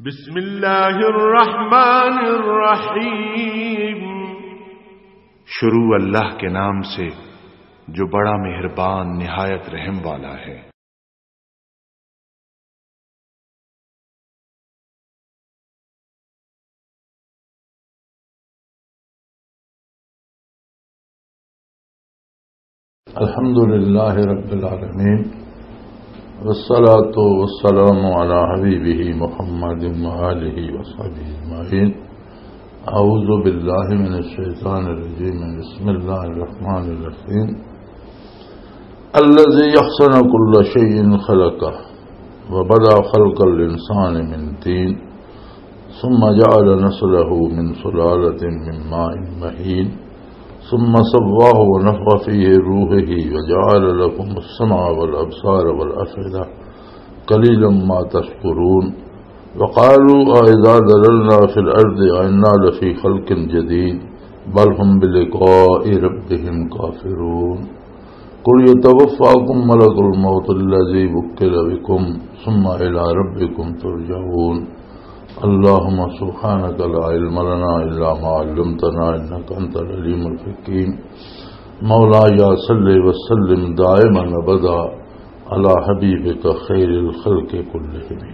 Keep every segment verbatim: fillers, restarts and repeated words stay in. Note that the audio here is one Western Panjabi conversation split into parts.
بسم اللہ الرحمن الرحیم۔ شروع اللہ کے نام سے، جو بڑا مہربان، نہایت رحم والا ہے۔ الحمد لله رب العالمين، والصلاة والسلام على حبيبه محمد وآله وصحبه أجمعين. أعوذ بالله من الشيطان الرجيم. بسم الله الرحمن الرحيم. الذي أحسن كل شيء خلقه وبدأ خلق الإنسان من طين ثم جعل نسله من سلالة من ماء مهين ثم سواه ونفخ فيه روحه وجعل لكم السمع والأبصار والأفئدة قليلا ما تشكرون. وقالوا أإذا ضللنا في الأرض أإنا لفي خلق جديد بل هم بلقاء ربهم كافرون. قل يتوفاكم ملك الموت الذي وكل بكم ثم إلى ربكم ترجعون. اللهم سبحانك لا علم لنا إلا ما علمتنا إنك أنت العليم الحكيم. مولاي صل وسلم دائما أبدا على حبيبك خير الخلق كلهم.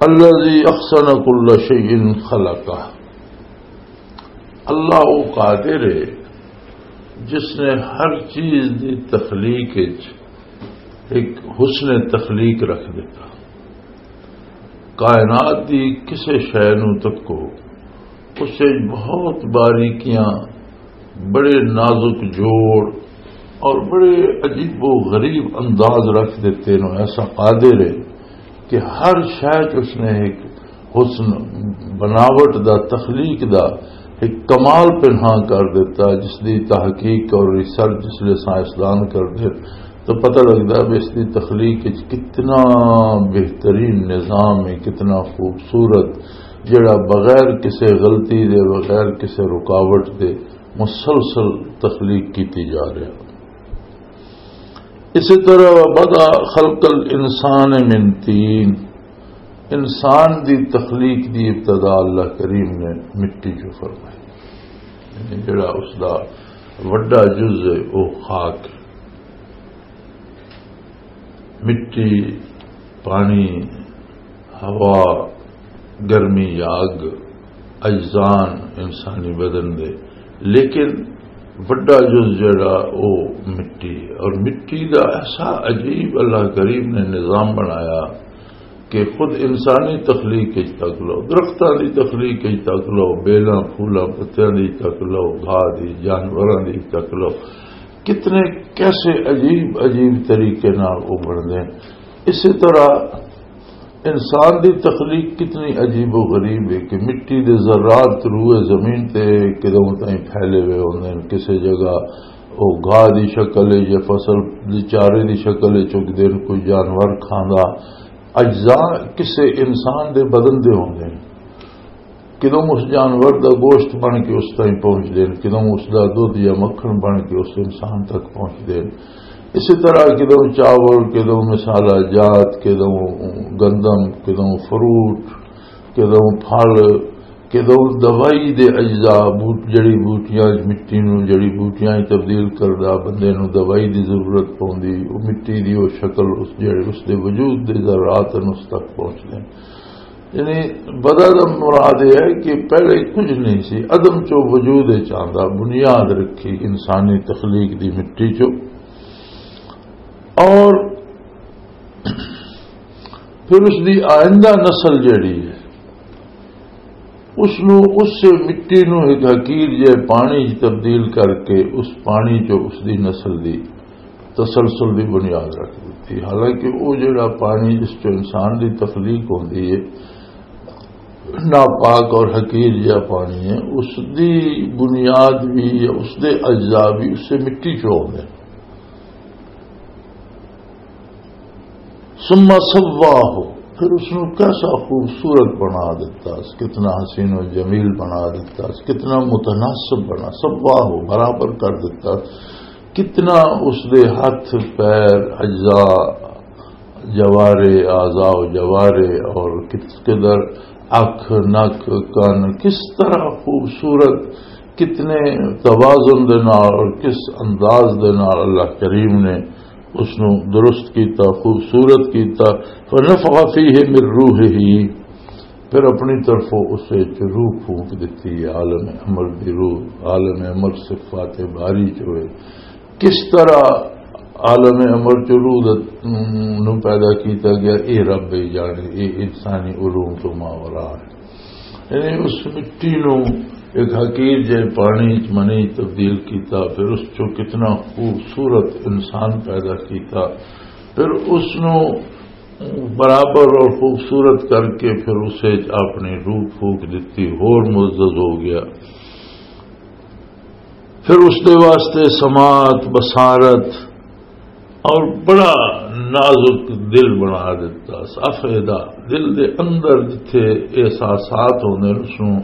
الذي أحسن كل شيء خلقه. اللہ وہ قادر ہے جس نے ہر چیز دی تخلیق وچ ایک حسن تخلیق رکھ دیتا۔ کائنات دی کسے شے نوں تکو، اس وچ بہت باریکیاں، بڑے نازک جوڑ اور بڑے عجیب و غریب انداز رکھ دیتے نو۔ ایسا قادر ہے کہ ہر شے چ اس نے ایک حسن بناوٹ دا، تخلیق دا ایک کمال پنہاں کر دیتا، جس دی تحقیق اور ریسرچ جس لے سائنسدان کردے تو پتہ لگدا ہے اس دی تخلیق وچ کتنا بہترین نظام ہے، کتنا خوبصورت، جڑا بغیر کسے غلطی دے، بغیر کسے رکاوٹ دے مسلسل تخلیق کیتی جا رہا۔ اسی طرح وبدأ خلق الانسان من طین، انسان دی تخلیق دی ابتدا اللہ کریم نے مٹی چوں فرمائی۔ یعنی جڑا اس دا وڈا جز ہے، وہ خاک ہے۔ مٹی، پانی، ہوا، گرمی، آگ، اجزان انسانی بدن دے، لیکن وڈا جز جڑا، او مٹی ہے۔ اور مٹی دا ایسا عجیب اللہ کریم نے نظام بنایا کہ خود انسانی تخلیق وچ تک لو، درختاں دی تخلیق وچ تک لو، بیلاں، پھولاں، پتیاں دی تک لو، گھاہ دی، جانوراں دی تک لو، کتنے، کیسے عجیب عجیب طریقے نال ابھردے ہیں۔ اسی طرح انسان دی تخلیق کتنی عجیب و غریب ہے کہ مٹی دے ذرات روئے زمین تے کدوں تائیں پھیلے ہوئے ہوندے ہیں۔ کسے جگہ او گھاہ دی شکل ہے یا فصل دی چارے دی شکل ہے چگدے ہیں، کوئی جانور کھاندا۔ اجزاء کسے انسان دے بدن دے ہوندے ہیں۔ کدوں اس جانور دا گوشت بن کے اس تائیں پہنچ دین، کدوں اس دا دودھ یا مکھن بن کے اس انسان تک پہنچ دین۔ اسی طرح کدوں چاول، کدوں مسالہ جات، کدوں گندم، کدوں فروٹ، کدوں پھل، کدوں دوائی دے اجزاء، بوٹ-، جڑی بوٹیاں، مٹی نوں جڑی بوٹیاں تبدیل کردا، بندے نوں دوائی دی ضرورت پوندی، او مٹی دی او شکل اس جڑے اس دے وجود دے ذرات نوں اس تک پہنچ دین۔ یعنی بدء دا مراد یہ ہے کہ پہلے کچھ نہیں سی، عدم چو وجود وچ آندا، بنیاد رکھی انسانی تخلیق دی مٹی چو، اور پھر اس دی آئندہ نسل جڑی ہے، اس نو، اس مٹی نو ایک حقیر جے پانی وچ تبدیل کر کے اس پانی چو اس دی نسل دی تسلسل دی بنیاد رکھ دتی۔ حالانکہ وہ جڑا پانی جس چو انسان دی تخلیق ہوندی ہے، ناپاک اور حقیر جہا پانی ہے، اس دی بنیاد بھی یا اس دے اجزاء بھی اسے مٹی چو ہوندے۔ ثم سواہ، پھر اس نو کیسا خوبصورت بنا دیتا، کتنا حسین و جمیل بنا دیتا، کتنا متناسب بنا، سواہ، برابر کر دیتا، کتنا اس دے ہاتھ، پیر، اجزاء، جوارے، اعضاء و جوارے، اور کس قدر اکھ، نک، کن، کس طرح خوبصورت، کتنے توازن دے نال اور کس انداز دے نال اللہ کریم نے اس نو درست کیتا، خوبصورت کیتا۔ فنفخ فیہ من روحہ، پھر اپنی طرفوں اس وچ روح پھونک دتی، عالم امر دی روح، عالم امر صفات باری چ ہوئے۔ کس طرح عالم امر چ روح دا، نو پیدا کیتا گیا، اے رب ہی جانے، اے انسانی علوم تو ماورا ہے۔ یعنی اس مٹی نو ایک حقیر جے پانی چ، منی چ تبدیل کیتا، پھر اس چوں کتنا خوبصورت انسان پیدا کیتا، پھر اس نو برابر اور خوبصورت کر کے پھر اسے اپنی روح پھونک دتی، ہور معزز ہو گیا۔ پھر اس دے واسطے سماعت، بصارت اور بڑا نازک دل بنا دیتا۔ افئدہ، دل دے اندر جتھے احساسات ہوندے نے، اس نوں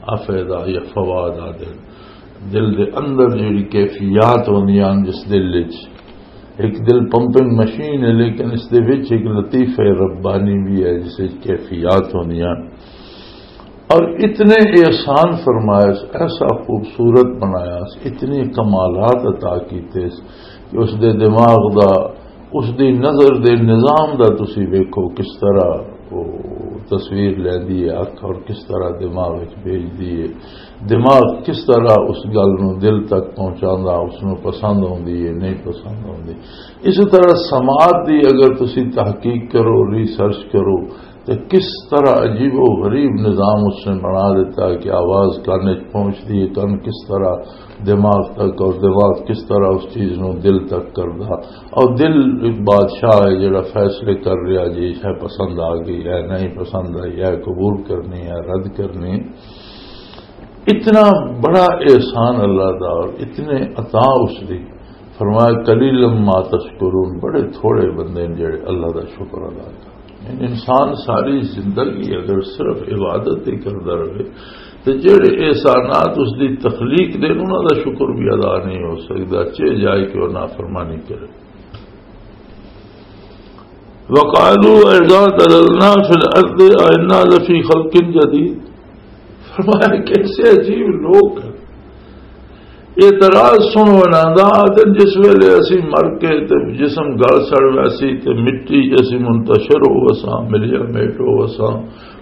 افئدہ یا فواد آدھے۔ دل دے اندر جڑی کیفیات ہوندیاں نے جس دل وچ، ایک دل پمپنگ مشین ہے، لیکن اس دے وچ ایک لطیفہ ربانی بھی ہے، جس وچ کیفیات ہوندیاں نے۔ اور اتنے احسان فرمایا، ایسا خوبصورت بنایا، اتنے کمالات عطا کیتے کہ اس دے دماغ دا، اس دی نظر دے نظام دا تسی ویکھو، کس طرح وہ تصویر لیندی ہے اکھ اور کس طرح دماغ وچ بھیجدی ہے۔ دماغ کس طرح اس گل نو دل تک پہنچاندا، اس نو پسند ہوندی ہے، نہیں پسند ہوندی۔ اسی طرح سماعت دی اگر تسی تحقیق کرو، ریسرچ کرو، تے کس طرح عجیب و غریب نظام اس نے بنا دیتا ہے کہ آواز کان وچ پہنچدی ہے، کان کس طرح دماغ تک، اور دماغ کس طرح اس چیز نو دل تک کردا۔ اور دل ایک بادشاہ ہے جڑا فیصلے کر رہا جی، یہ پسند آ گئی ہے، نہیں پسند آئی ہے، قبول کرنی ہے، رد کرنی۔ اتنا بڑا احسان اللہ دا اور اتنے عطا اس دی۔ فرمایا، "قلیلا ما تشکرون"، بڑے تھوڑے بندے نے جڑے اللہ دا شکر ادا کرن۔ یعنی انسان ساری زندگی اگر صرف عبادت ہی کردا رہے، تے جڑے احسانات اس دی تخلیق دے، انہاں دا شکر بھی ادا نہیں ہو سکدا، چے جائے کہ وہ نافرمانی کرے۔ وقالوا اذا ضللنا في الارض ائنا لفی خلق جدید۔ فرمایا، کیسے عجیب لوگ ہیں۔ اعتراض سنو انہاں دا، آدھے جس ویلے اسی مر کے تے جسم گل سڑ ویسی تے مٹی جسی منتشر ہو وساں، ملیا میٹ ہو وساں،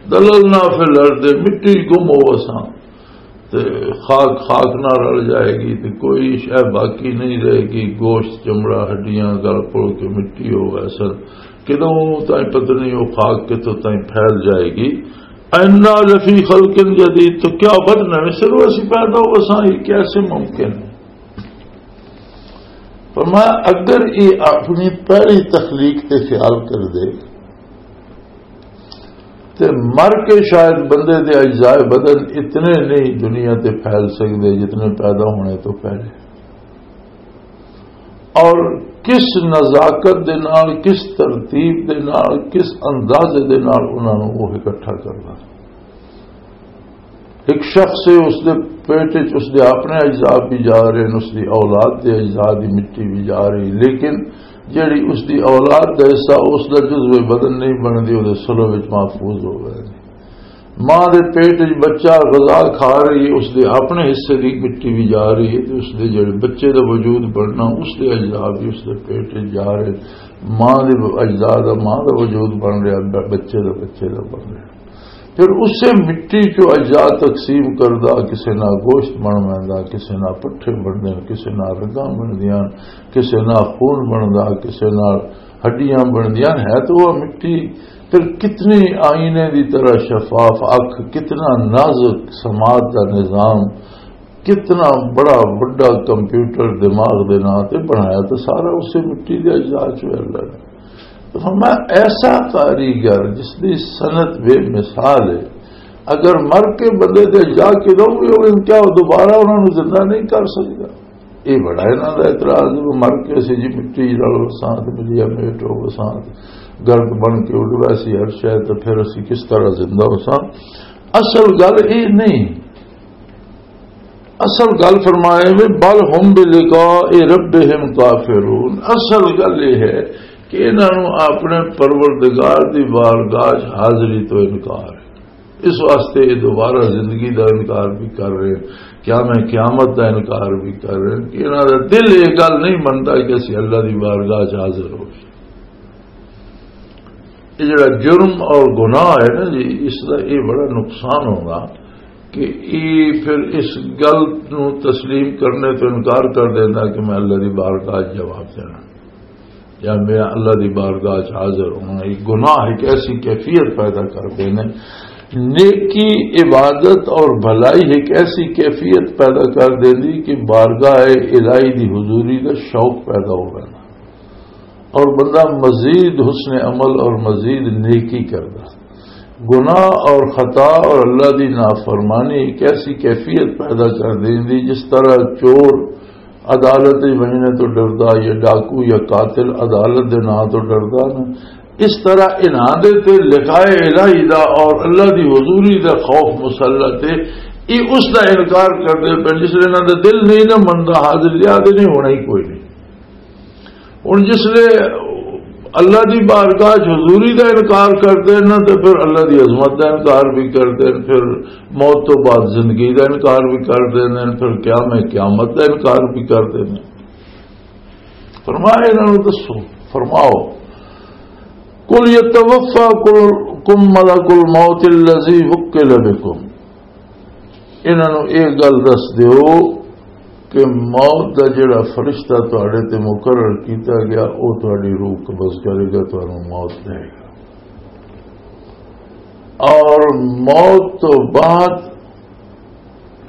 ضللنا فی الارض، مٹی گم ہو وساں، تے خاک خاک نہ رل جائے گی، تے کوئی شے باقی نہیں رہے گی، گوشت، چمڑا، ہڈیاں گل پل کے مٹی ہو ویسن۔ کدوں تائیں پتہ نہیں وہ خاک کتوں تائیں پھیل جائے گی۔ انا لفی خلق جدید، تو کیا بد نویں سروں اسی پیدا ہو وساں؟ یہ کیسے ممکن ہے؟ فرمایا، اگر یہ اپنی پہلی تخلیق تے خیال کر دے، تے مر کے شاید بندے دے اجزائے بدن اتنے نہیں دنیا تے پھیل سکدے جتنے پیدا ہونے تو پہلے۔ اور کس نزاکت دے نال، کس ترتیب دے نال، کس اندازے دے نال انہاں نوں وہ اکٹھا کرنا۔ ایک شخص ہے، اس دے پیٹ وچ اس دے اپنے اجزاء بھی جا رہے ہیں، اس دی اولاد دے اجزاء دی مٹی بھی جا رہی، لیکن جڑی اس دی اولاد دا حصہ، اس دا جزو بدن نہیں بندی، وہ صلب وچ محفوظ ہو گئے۔ ماں دے پیٹ وچ بچہ غذا کھا رہی ہے، اس دے اپنے حصے دی مٹی بھی جا رہی ہے، تے اس دے جڑے بچے دا وجود بننا، اس دے اجزاء بھی اس دے پیٹ وچ جا رہے۔ ماں دے اجزاء دا ماں دا وجود بن رہا، ب-، بچے دا بچے دا بن رہا۔ پھر اسے مٹی چوں اجزاء تقسیم کردا، کسے نال گوشت بن ویندا، کسے نال پٹھے بننے، کسے نال رگاں بندیاں، کسے نال خون بندا، کسے نال ہڈیاں بندیاں۔ ہے تو وہ مٹی، پھر کتنی آئینے دی طرح شفاف اکھ، کتنا نازک سماعت دا نظام، کتنا بڑا وڈا کمپیوٹر دماغ دے نام تے بنایا، تو سارا اسے مٹی دے اجزاء چوں ہے اللہ نے۔ تو فرمایا، ایسا کاریگر جس دی صنعت بے مثال ہے، اگر مر کے بندے دے اجزاء کدوں بھی ہوئے، کیا وہ دوبارہ انہاں نوں زندہ نہیں کر سکدا؟ یہ بڑا انہاں دا اعتراض ہے، مر کے اسی جی مٹی رل وساں تے ملیا میٹ ہو وساں تے گرد بن کے اڈ ویسی ہر شے، تے پھر اسی کس طرح زندہ وساں؟ اصل گل یہ نہیں۔ اصل گل فرمائے وے، "بل ہم بلقاء ربہم کافرون"۔ اصل گل یہ ہے کہ انہاں نوں اپنے پروردگار دی بارگاہ چ حاضری تو انکار ہے۔ اس واسطے یہ دوبارہ زندگی دا انکار بھی کر رہے ہیں، قیام قیامت دا انکار بھی کر رہے ہیں کہ انہاں دا دل یہ گل نہیں منتا کہ اسی اللہ دی بارگاہ چ حاضر ہو۔ یہ جڑا جرم اور گناہ ہے نا جی، اس دا یہ بڑا نقصان ہوگا کہ یہ پھر اس گل نو تسلیم کرنے تو انکار کر دینا کہ میں اللہ دی بارگاہ چ جواب دینا یا میں اللہ دی بارگاہ چ حاضر ہونا۔ یہ گناہ ایک ایسی کیفیت پیدا کر دینے، نیکی، عبادت اور بھلائی ایک ایسی کیفیت پیدا کر دیندی کہ بارگاہ الہی دی حضوری دا شوق پیدا ہو گیا اور بندہ مزید حسن عمل اور مزید نیکی کردا۔ گناہ اور خطا اور اللہ دی نافرمانی ایک ایسی کیفیت پیدا کر دیندی، جس طرح چور عدالت وچ ونجنے تو ڈردا، یا ڈاکو یا قاتل عدالت دے نام تو ڈردا نا، اس طرح انہاں دے تے لقائے الہی دا اور اللہ دی حضوری دا خوف مسلط ہے۔ یہ اس دا انکار کردے پے، جس لے انہاں دا دل نہیں نہ مندا، حاضر یاد نہیں ہونا ہی کوئی نہیں۔ ہن جس لے اللہ دی بارگاہ چ حضوری دا انکار کردے نا، تے پھر اللہ دی عظمت دا انکار بھی کردے نے، پھر موت تو بعد زندگی دا انکار بھی کردے نے، پھر قیام قیامت دا انکار بھی کردے نے۔ فرمایا انہاں نوں دسو، فرماؤ، "قل يتوفاكم ملك الموت الذي وكل بكم۔" انہاں نوں یہ گل دس دیو کہ موت دا جڑا فرشتہ تواڈے تے مقرر کیتا گیا، او تواڈی روح قبض کرے گا، تانوں موت دے گا۔ اور موت تو بعد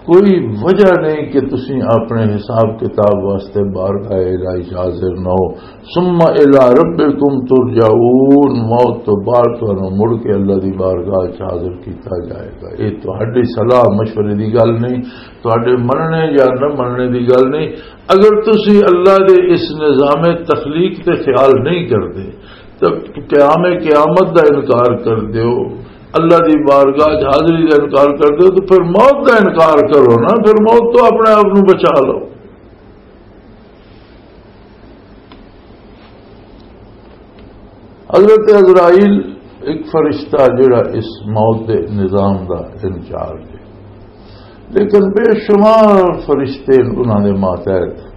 کوئی وجہ نہیں کہ تسی اپنے حساب کتاب واسطے بارگاہ الہی حاضر نہ ہو۔ ثم الی ربکم ترجعون، موت تو بعد تانوں مڑ کے اللہ دی بارگاہ چ حاضر کیتا جائے گا۔ یہ تہاڈی صلاح مشورے دی گل نہیں، تہاڈے مننے یا نہ مننے دی گل نہیں۔ اگر تسی اللہ دے اس نظام تخلیق تے خیال نہیں کردے، تو قیام قیامت دا انکار کر دیو، اللہ دی بارگاہ چ حاضری دا انکار کر دیو، تو پھر موت دا انکار کرو نا، پھر موت تو اپنے آپ نو بچا لو۔ حضرت عزرائیل ایک فرشتہ جڑا اس موت دے نظام دا انچارج ہے، لیکن بے شمار فرشتے انہاں دے ماتحت۔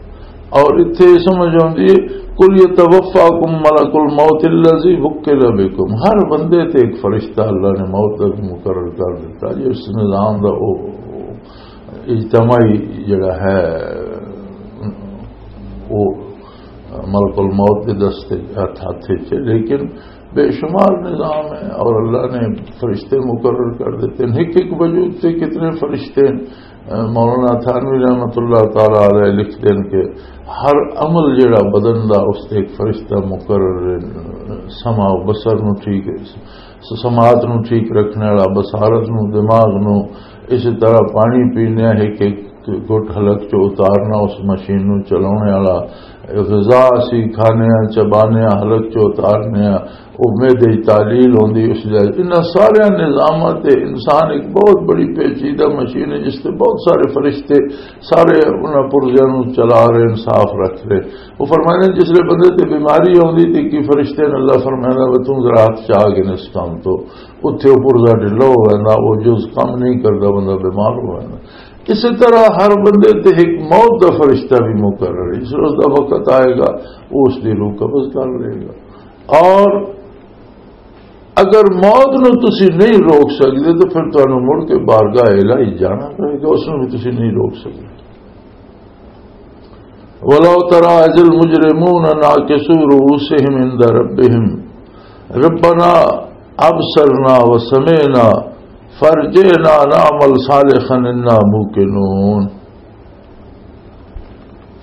اور اتھے یہ سمجھ آؤندی ہے، "قل یتوفاکم ملک الموت الذی وکل بکم"، ہر بندے تے ایک فرشتہ اللہ نے موت دا بھی مقرر کر دیتا جی، اس نظام دا او اجتماعی جڑا ہے، وہ ملک الموت دے دستے ہاتھ، ہاتھ وچ ہے، لیکن بے شمار نظام ہے اور اللہ نے فرشتے مقرر کر دیتے ہیں۔ ایک ایک وجود سے کتنے فرشتے ہیں۔ مولانا تھانوی رحمۃ اللہ تعالی علیہ لکھتے ہیں کہ ہر عمل جڑا بدن دا، اس تے ایک فرشتہ مقرر ہے، سمع و بصر نو ٹھیک، سماعت نو ٹھیک رکھنے والا، بصارت نو، دماغ نو، اسی طرح پانی پینے ایک ایک گٹ حلق چ اتارنا، اس مشین نو چلانے والا، غذا اسی کھانے ہاں، چبانے ہاں، حلق چ اتارنے ہاں، وہ معدے دی تحلیل ہوندی، اس جائے۔ انہاں سارے نظاماں تے انسان ایک بہت بڑی پیچیدہ مشین ہے، جس تے بہت سارے فرشتے سارے انہاں پرزیاں نو چلا رہے ہیں، صاف رکھ رہے۔ وہ فرماندے نے، جس لے بندے تے بیماری آوندی تے کی فرشتے نے اللہ فرمایا، "وہ توں ذرا ہاتھ چا کے اس کام تو"، اتھے وہ پرزا ڈھلا ہو جاندا، وہ جز کم نہیں کردا، بندہ بیمار ہو جاندا۔ اسی طرح ہر بندے تے ایک موت دا فرشتہ بھی مقرر ہے، جس روز دا وقت آئے گا، وہ اس دی روح قبض کر لے گا۔ اور اگر موت نو تسی نہیں روک سکدے تو پھر تانوں مڑ کے بارگاہ الہی جانا پے گا، اس نو بھی تسی نہیں روک سکدے۔ ولو ترى إذ المجرمون ناكسوا رؤوسهم عند ربهم ربنا أبصرنا وسمعنا فارجعنا نعمل صالحا إنا موقنون۔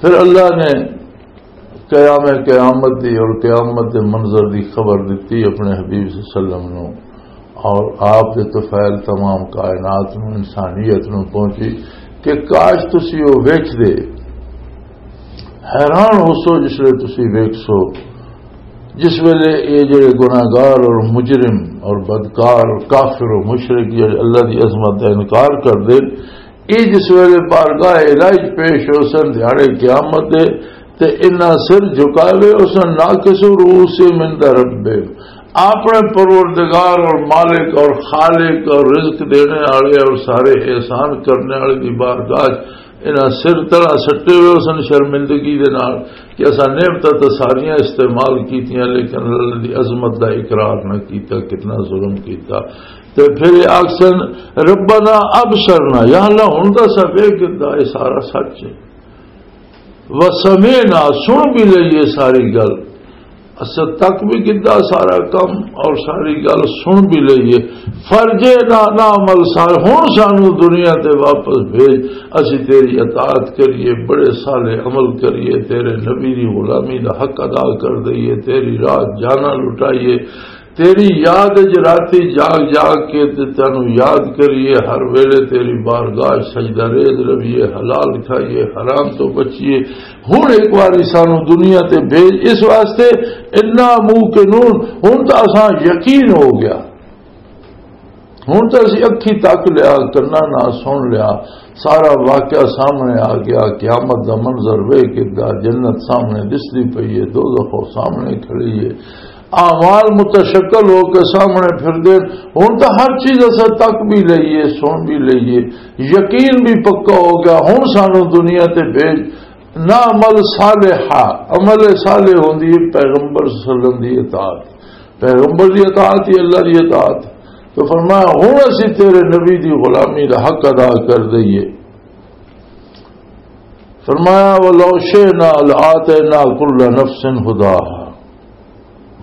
پھر اللہ نے قیام قیامت دی اور قیامت دے منظر دی خبر دتی اپنے حبیب صلی اللہ علیہ وسلم نو، اور آپ دے طفیل تمام کائنات نو، انسانیت نو پہنچی کہ کاش تسی او ویکھ دے، حیران ہو سو جس لے تسی ویکھ سو، جس ویلے یہ جڑے گناہگار اور مجرم اور بدکار اور کافر و مشرک یہ اللہ دی عظمت دا انکار کر دے، یہ جس ویلے بارگاہ الہی پیش ہو سن دیہاڑے قیامت دے، تے انہاں سر جھکا لے، اس نے ناقص رؤوس من در رب، اپنے پروردگار اور مالک اور خالق اور رزق دینے والے اور سارے احسان کرنے والے دی بارگاہ چ انہاں سر طرح سٹے ہوئے اس نے شرمندگی دے نال کہ اساں نعمتاں تے ساریاں استعمال کیتیاں، لیکن اللہ دی عظمت دا اقرار نہ کیتا، کتنا ظلم کیتا۔ تے پھر یہ آکھسن، "ربنا ابصرنا"، یا اللہ، ہن تاں اساں ویکھ گدا، یہ سارا سچ ہے۔ "وسمعنا"، سن بھی لئیے ساری گل، اساں تک بھی گدا سارا کم اور ساری گل سن بھی لئیے۔ "فرجعنا نعمل صالح"، ہن سانو دنیا تے واپس بھیج، اسی تیری اطاعت کریے، بڑے صالح عمل کریے، تیرے نبی دی غلامی دا حق ادا کر دئیے، تیری راہ جانا لٹائیے، تیری یاد وچ راتی جاگ جاگ کے تے تینوں یاد کریے، ہر ویلے تیری بارگاہ وچ سجدہ ریز رویے، حلال کھائیے، حرام تو بچیے۔ ہن ایک واری سانو دنیا تے بھیج اس واسطے، انا موقنون، ہن تاں اساں یقین ہو گیا، ہن تاں اسی اکھی تک لیا، کناں نال سن لیا، سارا واقعہ سامنے آ گیا، قیامت دا منظر ویکھ گدا، جنت سامنے دسدی پئی ہے، دوزخ او سامنے کھڑی ہے، اعمال متشکل ہو کے سامنے پھر دے۔ ہن تاں ہر چیز اساں تک بھی لئیے، سن بھی لئیے، یقین بھی پکا ہو گیا۔ ہن سانو دنیا تے بھیج، نعمل صالحا، عمل صالح ہوندی ہے پیغمبر صلی اللہ علیہ وسلم دی اطاعت، پیغمبر دی اطاعت ہی اللہ دی اطاعت۔ تو فرمایا، ہن اسی تیرے نبی دی غلامی دا حق ادا کر دئیے۔ فرمایا، "ولو شئنا لآتینا کل نفس ہداہا،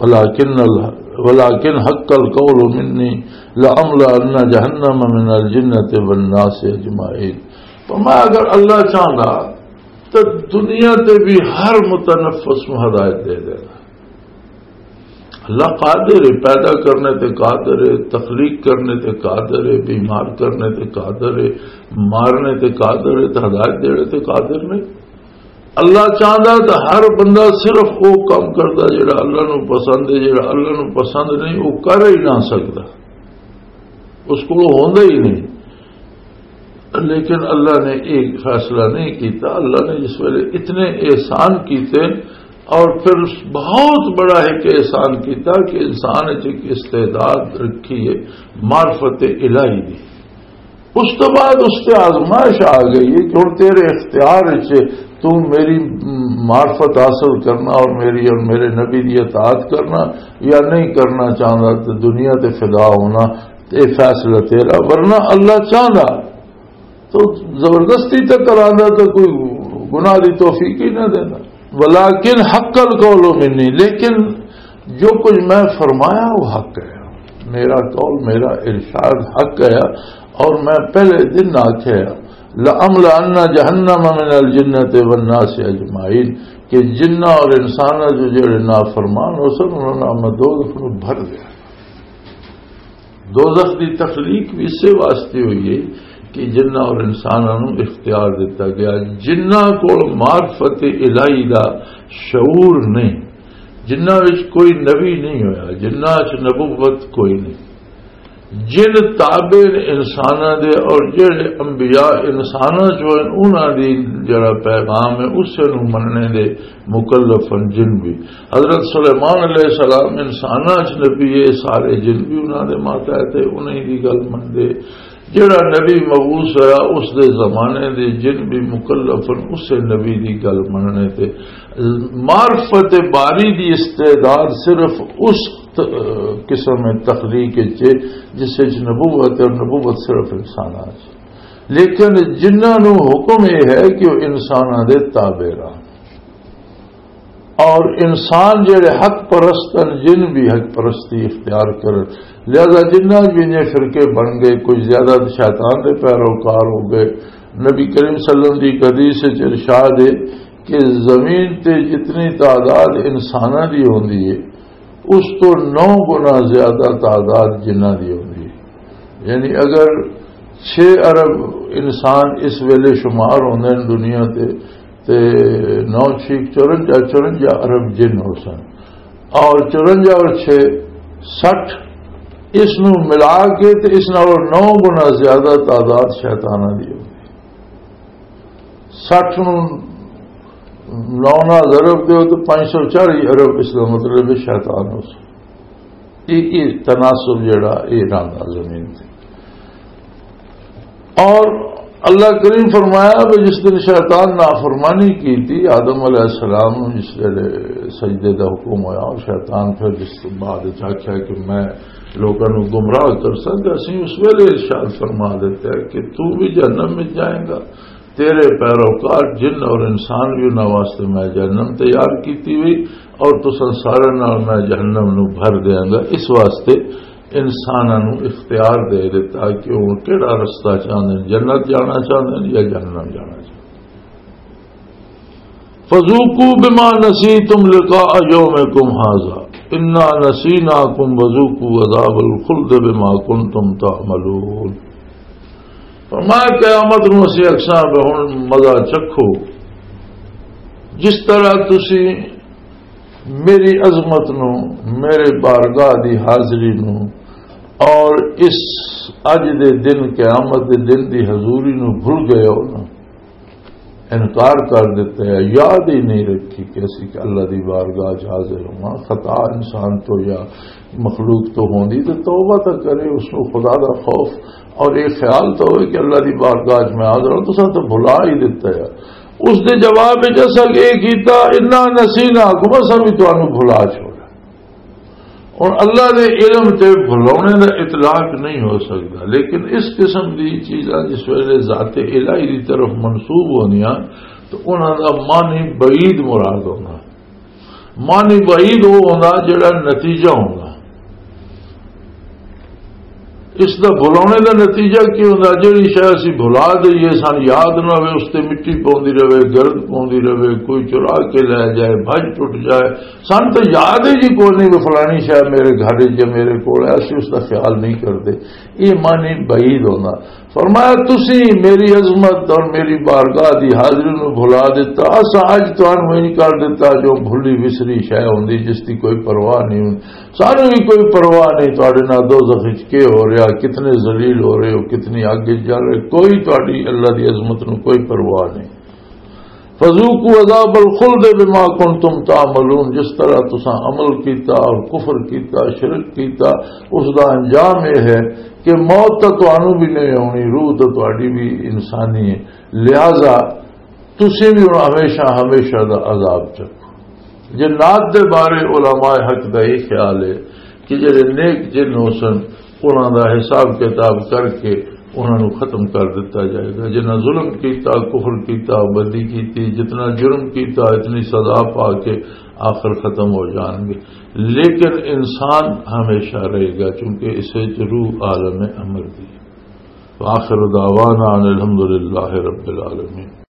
ولکن ال-، ولکن حق القول منی لأملأن جہنم من الجنۃ والناس اجمعین۔" فرمایا، اگر اللہ چاہندا تو دنیا تے بھی ہر متنفس نوں ہدایت دے دینا۔ اللہ قادر ہے، پیدا کرنے تے قادر ہے، تخلیق کرنے تے قادر ہے، بیمار کرنے تے قادر ہے، مارنے تے قادر ہے، تے ہدایت دینے تے قادر نہیں۔ اللہ چاہندا تے ہر بندہ صرف وہ کام کردا جڑا اللہ نو پسند ہے، جڑا اللہ نو پسند نہیں وہ کر ہی نہ سکدا، اس کو ہوندا ہی نہیں۔ لیکن اللہ نے ایک فیصلہ نہیں کیتا۔ اللہ نے جس ویلے اتنے احسان کیتے اور پھر بہت بڑا ایک احسان کیتا کہ انسان وچ ایک استعداد رکھی ہے معرفت الہی دی۔ اس تو بعد اس تے آزمائش آ گئی ہے کہ ہن تیرے اختیار وچ تو میری معرفت حاصل کرنا اور میری اور میرے نبی دی اطاعت کرنا یا نہیں کرنا چاہندا، تے دنیا تے فدا ہونا، تے فیصلہ تیرا، ورنہ اللہ چاہندا تو زبردستی تے کراندا تے کوئی گناہ دی توفیق ہی نہ دینا۔ ولیکن حق القول منی، لیکن جو کچھ میں فرمایا وہ حق ہے، میرا قول، میرا ارشاد حق ہے، اور میں پہلے دن آکھیا، "لأملأن جہنم من الجنۃ والناس اجمعین"، کہ جنہ اور انساناں جو جڑے نافرمان ہو سن، انہاں نوں میں دوزخ نوں بھر دیا۔ دوزخ دی تخلیق بھی اسے واسطے ہوئی ہے کہ جنہ اور انساناں نوں اختیار دتا گیا۔ جنہ کول معرفت الہی دا شعور نہیں، جنہ وچ کوئی نبی نہیں ہویا، جنہ وچ نبوت کوئی نہیں، جن تابع نے انساناں دے اور جڑے انبیاء انساناں چوں ہن، انہاں دی جڑا پیغام ہے اسے نوں مننے دے مکلف ہن جن بھی۔ حضرت سلیمان علیہ السلام انساناں چ نبی ہے، سارے جن بھی انہاں دے ماتحت ہے، انہاں دی گل مندے۔ جڑا نبی مبعوث ہویا اس دے زمانے دے جن بھی مکلف ہن اسے نبی دی گل مننے تے۔ معرفت باری دی استعداد صرف اس ت-، قسم تخلیق وچ ہے جس وچ نبوت ہے، اور نبوت صرف انساناں چ۔ لیکن جنہاں نوں حکم یہ ہے کہ وہ انساناں دے تابع رہن۔ اور انسان جڑے حق پرست ہیں، جن بھی حق پرستی اختیار کرن، لہذا جنہ بھی نے فرقے بن گئے، کچھ زیادہ تو شیطان دے پیروکار ہو گئے۔ نبی کریم صلی اللہ علیہ وسلم دی ایک حدیث وچ ارشاد ہے کہ زمین تے جتنی تعداد انساناں دی ہوندی ہے، اس تو نو گنا زیادہ تعداد جنہاں دی ہوندی ہے۔ یعنی اگر چھ ارب انسان اس ویلے شمار ہوندے ہیں دنیا تے، تے نو چھیک چورنجا، چورنجا ارب جن ہو سن، اور چورنجا اور چھ سٹھ، اس نو ملا کے تے اس نالوں نو گنا زیادہ تعداد شیطاناں دی ہوندی۔ سٹھ نو نو نال ضرب دیو تو پانچ سو چالیس ارب، اس کا مطلب ہے شیطان اس۔ یہ، یہ تناسب جڑا، یہ رہندا زمین تے۔ اور اللہ کریم فرمایا کہ جس دن شیطان نافرمانی کی تھی آدم علیہ السلام نوں، جس ویلے سجدے دا حکم ہویا، اور شیطان پھر جس بعد وچ آکھیا کہ میں لوکاں نوں گمراہ کر سکدا سی، اس ویلے ارشاد فرما دیتا ہے کہ تو بھی جہنم میں جائیں گا، تیرے پیروکار جن اور انسان بھی، انہاں واسطے میں جہنم تیار کیتی ہوئی، اور تساں سارے نال میں جہنم نوں بھر دیاں گا۔ اس واسطے انساناں نوں اختیار دے دیتا کہ وہ کہڑا رستہ چاہندے نے، جنت جانا چاہندے نے یا جہنم جانا چاہندے نے۔ فذوقوا بما نسیتم لقاء یومکم ھذا انا نسیناکم وذوقوا عذاب الخلد بما کنتم تعملون۔ فرمایا، قیامت نوں اسی اکساں پہ ہن مزہ چکھو، جس طرح تسی میری عظمت نوں، میرے بارگاہ دی حاضری نوں، اور اس اج دے دن، قیامت دے دن دی حضوری نوں بھل گئے ہو نا، انکار کر دیتا ہے، یاد ہی نہیں رکھی کہ اسی کہ اللہ دی بارگاہ چ حاضر ہوں۔ خطا انسان تو یا مخلوق تو ہوندی تو توبہ تو کرے، اس نوں خدا دا خوف اور یہ خیال تو ہوئے کہ اللہ دی بارگاہ چ میں حاضر ہوں، تو سب تو بھلا ہی دیتا ہے۔ اس دے جواب وچ اساں یہ کیتا، انا نسیناکم، اساں بھی تانوں بھلا چھوڑا۔ اور اللہ دے علم تے بھلاونے دا اطلاق نہیں ہو سکتا، لیکن اس قسم دی چیزاں جس ویلے ذات الہی دی طرف منسوب ہوندیاں تو انہاں دا معنی بعید مراد ہوندا۔ معنی بعید وہ ہوندا جڑا نتیجہ ہوندا۔ اس دا بھلاونے دا نتیجہ کی ہوندا؟ جڑی شے اسی بھلا دئیے، سان یاد نہ ہوئے، اس تے مٹی پوندی رہے، گرد پوندی رہے، کوئی چرا کے لے جائے، بھج ٹوٹ جائے، سان تو یاد ہی جی کوئی نہیں کہ فلانی شے میرے گھر وچ یا میرے کول ہے، اسی اس دا خیال نہیں کردے۔ یہ معنی بعید ہوندا۔ فرمایا، تسی میری عظمت اور میری بارگاہ دی حاضری نو بھلا دیتا، اساں اج تانوں انج کر دیتا جو بھلی وسری شے ہوندی جس دی کوئی پرواہ نہیں ہوندی۔ سانوں بھی کوئی پرواہ نہیں تہاڈے نال دوزخ وچ کی ہو رہا، کتنے ذلیل ہو رہے ہو، کتنی اگ وچ جل رہے، کوئی تہاڈی اللہ دی عظمت نو کوئی پرواہ نہیں۔ فذوقوا عذاب الخلد بما کنتم تعملون، جس طرح تساں عمل کیتا اور کفر کیتا، شرک کیتا، اس دا انجام یہ ہے کہ موت تو تانوں بھی نہیں آنی، روح تو تہاڈی بھی انسانی ہے، لہذا تسی بھی ہن ہمیشہ ہمیشہ دا عذاب چکو۔ جنات دے بارے علماء حق دا یہ خیال ہے کہ جڑے نیک جن ہو سن، انہاں دا حساب کتاب کر کے انہاں نوں ختم کر دتا جائے گا۔ جنہاں ظلم کیتا، کفر کیتا، بدی کیتی، جتنا جرم کیتا، اتنی سزا پا کے آخر ختم ہو جان گے۔ لیکن انسان ہمیشہ رہے گا، چونکہ اسے چ روح عالم امر دی ہے۔ وآخر دعوانا ان الحمد للہ رب العالمین۔